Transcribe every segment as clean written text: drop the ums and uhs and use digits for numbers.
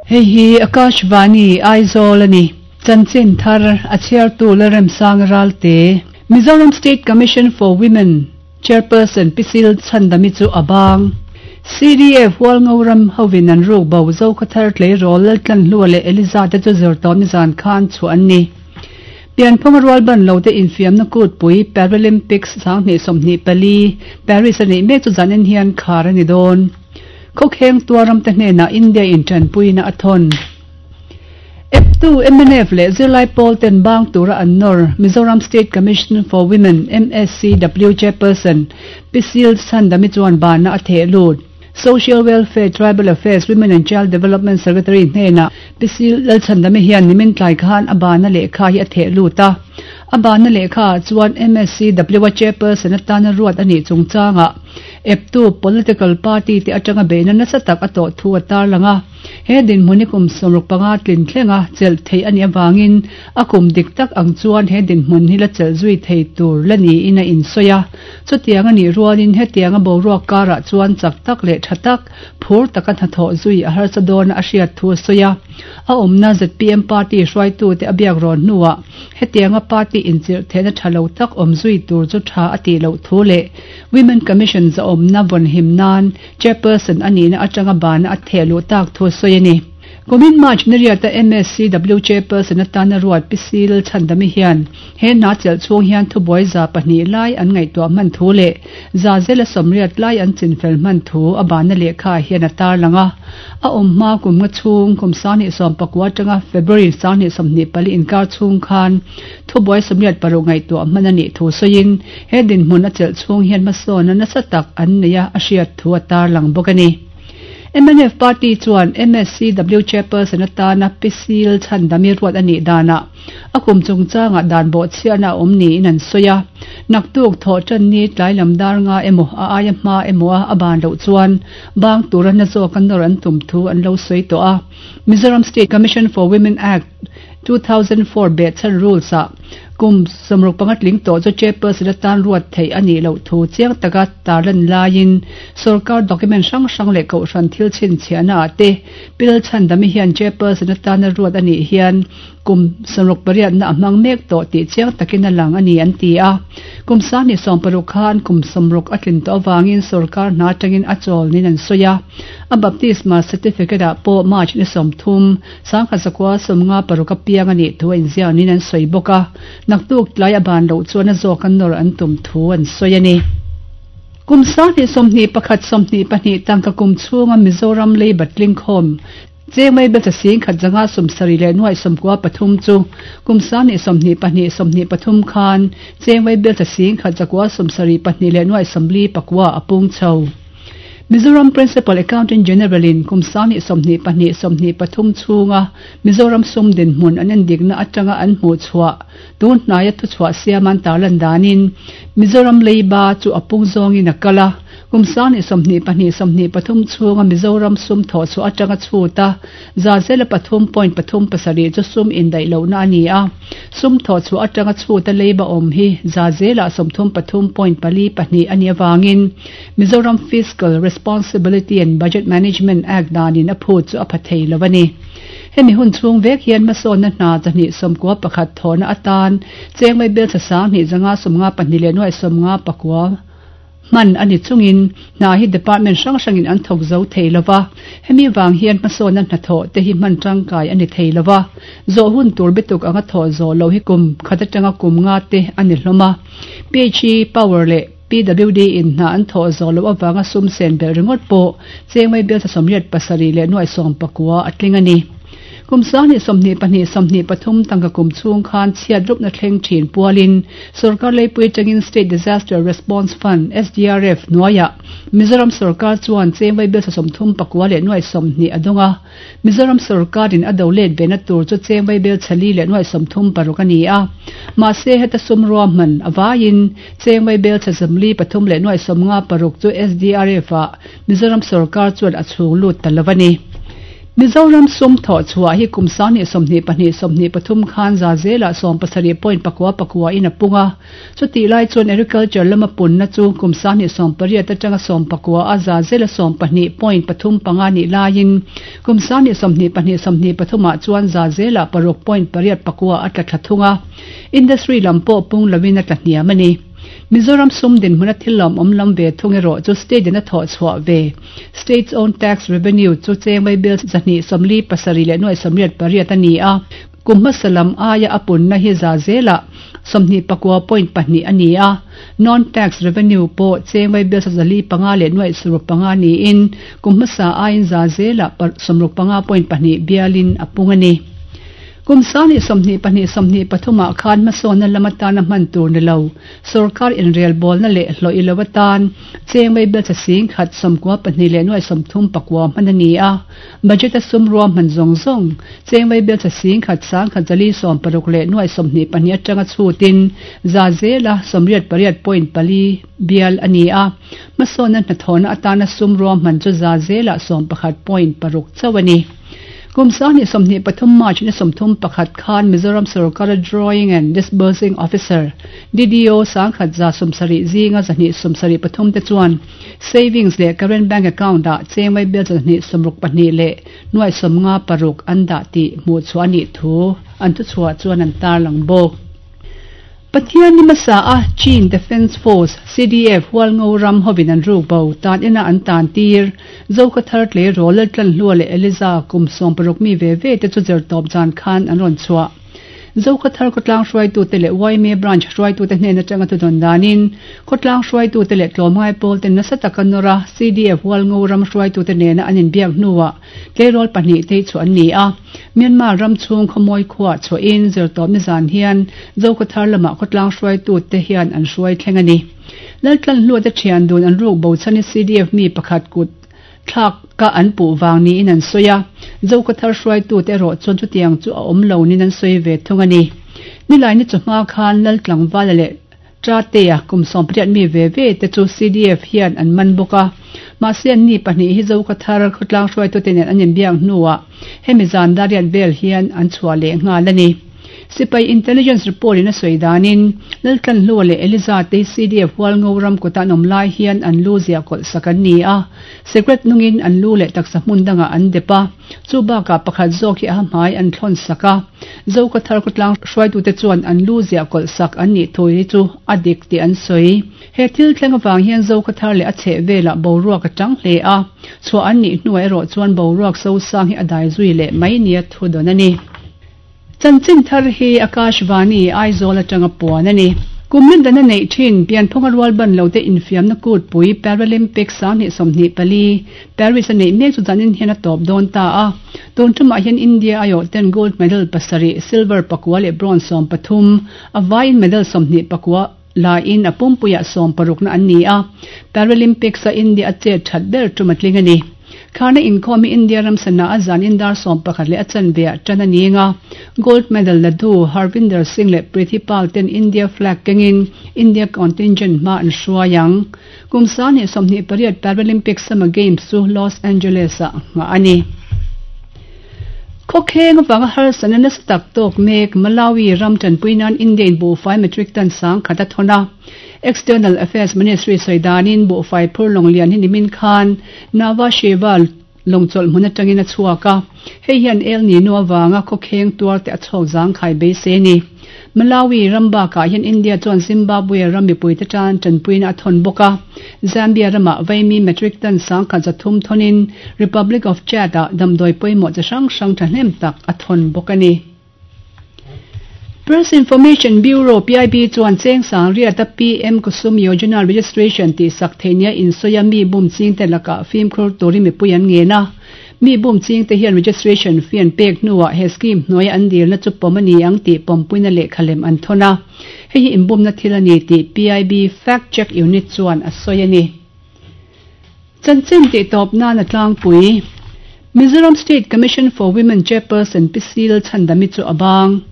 Hei hi Akashvani, Aizawl a ni. Chanchin thar a chhiartu Lalremsanga Ralte, Mizoram State Commission for Women Chairperson Pi Sil Chhandami chu a bang. CDF Hualngoram hovin an ruk bo Zokhathar tleirawl Laltlanhlua leh Eliza te chu zirtawpni zan khan chhuah an ni. Pianphunga rualban lote infiamna kutpui Paralympics 2024 Paris a neih mek chu zanin hian khar a ni dawn. Khawkheng tuaram te hnenah India in tanpuina a thawn. Eptu mnf leh zirlai pawl ten bang tura an nawr Mizoram State Commission for Women, MSCW, Chairperson Pi Sil Chhandami chuan banna a theh lut. Social Welfare, Tribal Affairs, Women and Child Development Secretary hnenah Pi Sil Lalchhandami hian nimin tlai khan a banna lehkha hi a theh lut a. A banna lehkha ah chuan MSCW a Chairperson atana ruat a nih chungchangah eptu political party te atanga beihna nasa tak a tawh thu a tarlang a. He dinhmun hi kum 65 tlin thlenga chelh theih a nih avangin a kum dik tak ang chuan he dinhmun hi la chelh zui thei tur la niin a insawi a. Chutiang a nih rualin hetianga boruak karah chuan chak tak leh tha tak, phur taka hnathawh zui a harsa dawna a hriat thu a sawi a. A awmna zpm party hruaitute a biak rawn hnuah hetianga party inchirh theihna tha lo tak awm zui tur chu tha a tih loh thu leh Women Commission zahawmna vawnhim nan Chairperson a nihna atanga bana a theh luh tak thu a sawi a ni. Kumin March ni riata MSCW Chairperson atana ruat Pi Sil Chhandami hian he hna chelh chhung hian thubuai 200 lai an ngaihtuah hman thu leh za zela 80 lai an chinfel hman thu a bana lehkha hian a tarlang a. A awm hma kum nga chhung kum 2019 atanga February 2024 inkar chhung khan thubuai 86 ngaihtuah hman a nih thu sawiin he dinhmun a chelh chhung hian hmasawn a nasa tak an nei a a hriat thu a tarlang bawk a ni. Mnf party chuan MSCW Chairperson atana Pi Sil Chhandami ruat a nih danah a kum chungchangah dan bawhchhiahna a awm niin an sawi a. Naktuk thawh tan ni tlai lam dar nga emaw a aia hma emaw a a ban loh chuan bang tura na zawka nawr an tum thu an lo sawi tawh a. Mizoram State Commission for Women Act, 2004 behchhan rules ah kum 65 tling tawh chu chairperson atan ruat theih a nih loh thu chiang taka tarlan laiin sorkar document hrang hrang leh kohhran thil chhinchhiahna ah te Pil Chhandami hian chairperson atana ruat a nih hian kum 68 na a hmang mek tawh tih chiang takin a lang a ni an ti a. Kum 2016 khan kum 60 a tlin tawh avangin sorkar hna atangin a chawl niin an sawi a. A baptisma certificate ah pawh March ni 30, 1956 a piang a nih thu a inziak niin an sawi bawk a. Naktuk tlai a ban loh chuan a zawk a nawr an tum thu an sawi a ni. Kum 2021 22 tangka kum chhunga Mizoram leiba tlingkhawm chengmei belcha 1,170 leh 93 chu kum 2022 23 khan chengmei belcha 1,972 leh 49 a pung chho. Mizoram Principal Accountant General in kum 2022 23 chhunga Mizoram sum dinhmun an endikna atanga an hmuh chhuah tun hnaia thuchhuah siam an tarlan danin Mizoram leiba chu a pung zawngin a kal a. Kum 2022 23 chhunga Mizoram sum thawh chhuah atanga chhuta 3.37% chu sum indaih lohna a ni a. Sum thawh chhuah atanga chhuta leiba awm hi 33.42% a nih avangin Mizoram Fiscal Responsibility and Budget Management Act danin a phut chu a pha thei lo a ni. Hemi hun chhung vek hian hmasawnna hna 291 thawhna atan chengmei belcha 2,152 leh 59 hman a ni chungin hna hi department hrang hrangin an thawk zo thei lova. Hemi wang hian hmasawnna hna thawh te hi hman tangkai a ni thei lova. Zawh hun tur bituk anga thawh zawh lo hi kum khat atanga kum nga te a ni hlawm a. PHE Power leh PWD in hna an thawh zawh loh avanga sum sen belh ringawt pawh chengmei belcha 87 leh 90 a tling a ni. Kum 2022 23 tangka kum chhung khan chhiat rupna thleng thin pualin sorkar leipui atangin State Disaster Response Fund SDRF hnuaiah Mizoram sorkar chuan chengmei belcha 39 leh 20 a dawng a. Mizoram sorkarin a do let vena tur chu chengmei belcha li leh 36 a ni a. Mahse heta sum ruahman a vaiin chengmei belcha 43 leh 56 chu SDRF ah Mizoram sorkar chuan a chhung lut ta lo a ni. Mizoram sum thawh chhuah hi kum 2022 23 khan za zelah 70 point pakua pakua in a pung a. Chutih lai chuan Agriculture lama punna chu kum 2018 atanga 19 a za zela 12 point pathum panga nih laiin kum 2022 23 ah chuan za zelah paruk point pariat pakua a tla thla thung a. Industry lam pawh pung loin a tla hniam a ni. Mizoram sum dinhmun a thil lawmawm lam ve thung erawh chu state in a thawh chhuah ve State's own tax revenue chu chengmei bill 247 leh nuai 88 a ni a. Kum hmasa lam aia a punna hi za zelah 29.2 a ni a. Non-tax revenue pawh chengmei bill 405 leh nuai 65 niin kum hmasa aiin za zelah 65.2 bialin a pung a ni. Kum 2022 23 ah khan hmasawnna lam atana hman tur ni lo sorkar inrelbawlna leh hlawh ilo atan chengmei bill 192 leh nuai 39 hman a ni a. Budget a sum ruahman zawng zawng chengmei bill 1,146 leh nuai 22 atanga chhutin za zela 88.4 bial a ni a. Hmasawnna hnathawhna atana sum ruahman chu za zela 11.6 chauh a ni. Kum 2023 March ni 31 khan Mizoram Sarkar Drawing and Disbursing Officer DDO 170 zinga 273 te chuan savings leh current bank account ah chengmei bill 262 leh nuai 56 an dah tih hmuh chhuah a nih thu an thu chhuah chuan an tarlang bawk. Pathian ni hmasa a Chin Defence Force, CDF, Hualngo ram hovin an ruk bo tan ina an tan tir. Zokhawthar tleirawl Laltlanhlua leh Eliza kum 16 mi ve ve te chu zirtawp zan khan an rawn chhuah. Zokhawthar khawtlang hruaitute leh YMA branch hruaitute hnen atanga thudawn danin khawtlang hruaitute leh tlawmngai pawl ten nasa taka nawr a CDF Hualngo ram hruaitute nena an inbiak hnuah tleirawl pahnih te hi chu an ni a. Myanmar ram chhung khawmawi khuah chhuahin zirtawp ni zan hian Zokhawthar lamah khawtlang hruaitute hian an hruai thleng a ni. Laltlanhlua te thian dun an ruk bo chhan hi CDF mi pakhat kut thlak ka an puh vang niin an sawi a. Zokhawthar hruaitute erawh chuan chutiang chu a awm lo niin an sawi ve thung a ni. Nilai ni chawhma khan Laltlangvala leh Tratea kum 18 mi ve ve te chu CDF hian an man bawk a. Mahse an ni pahnih hi Zokhawthar khawtlang hruaitute nen an inbiak hnuah hemi zan dariat vel hian an chhuah leh nghal a ni. Sipai intelligence report in a sawi danin Laltlanhlua leh Eliza te hi CDF Hualngo ram kawta an awm lai hian an lu ziah kawlh sak an ni a. Secret nungin an lu leh taksa hmun dangah an dep a. Chu bakah pakhat zawk hi a hmai an thlawn sak a. Zokhawthar khawtlang hruaitute chuan an lu ziah kawlh sak an nih thu hi chu a dik tih an sawi. He thil thleng avang hian Zokhawthar leh a chheh velah boruak a tang hle a. Chhuah an nih hnuah erawh chuan boruak sosang hi a dai zui leh mai nia thu dawn a ni. Chanchin thar hi Akashvani, Aizawl atanga puan a ni. Kum ni dana neih thin pianphunga rual ban lo te infiamna kutpui Paralympics 2024 Paris a neih mek chu zanin hian a tawp dawn ta a. Tun tumah hian India aiawh ten gold medal pasarih, silver pakua leh bronze 13, a vaiin medal 21 laiin a pumpuiah 60 na an ni a. Paralympics a India a chet that ber tum a tling a ni. Kharna inkhawm hi India ram sana a zan in dar 11 leh a chanveah tan a ni nga. Gold medal la du Harvinder Singh leh Preeti Pal ten India flag kengin India contingent hma an hruai ang. Kum 2028 Paralympic Summer Games chu Los Angeles ah ngah a ni. Khawkheng awanga harsatna nasa tak tawk mek Malawi ram tanpui nan India in buhfai metric ton 10,000 a thawn a. External Affairs Ministry sawi danin buhfai phur lawnglian hi nimin khan Nhava Sheva lawngchawlh hmun atangin a chhuak a. Hei hian El Nino awanga khawkheng tuar te a chhawk zangkhai beisei a ni. Malawi ram bakah hian India chuan Zimbabwe ram mipui te tan tanpuina a thawn bawk a. Zambia ramah vaimi metric ton 1,300 thawnin Republic of Chad ah damdawi pawimawh chi hrang hrang thahnem tak a thawn bawk a ni. Press Information Bureau PIB chuan cheng sang riata PM Kusum Yojana registration tih sak theihnia insawi a mi bum ching te lakah fimkhur turin mipui an ngen a. Mi bum ching te hian registration fee an pek hnuah he scheme hnuaia an dilna chu pawm a ni ang tih pawmpuina lehkhalem an thawn a. Hei hi inbumna thil a ni tih PIB Fact Check Unit chuan a sawi a ni. Chanchin tih tawp nan a tlangpui. Mizoram State Commission for Women Chairperson Pi Sil Chhandami chu a bang.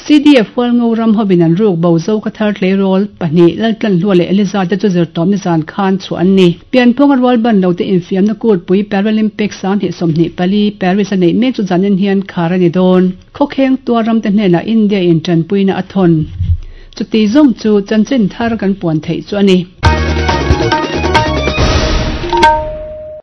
CDF Hualngo ram hovin an ruk bo Zokhawthar tleirawl pahnih Laltlanhlua leh Eliza te chu zirtawpni zan khan chhuah an ni. Pianphunga rual ban lo te infiamna kutpui Paralympics 2024 Paris a neih mek chu zanin hian khar a ni dawn. Khawkheng tuar ramte hnenah India in tanpuina a thawn. Chuti zawng chu chanchin thar kan puan theih chu a ni.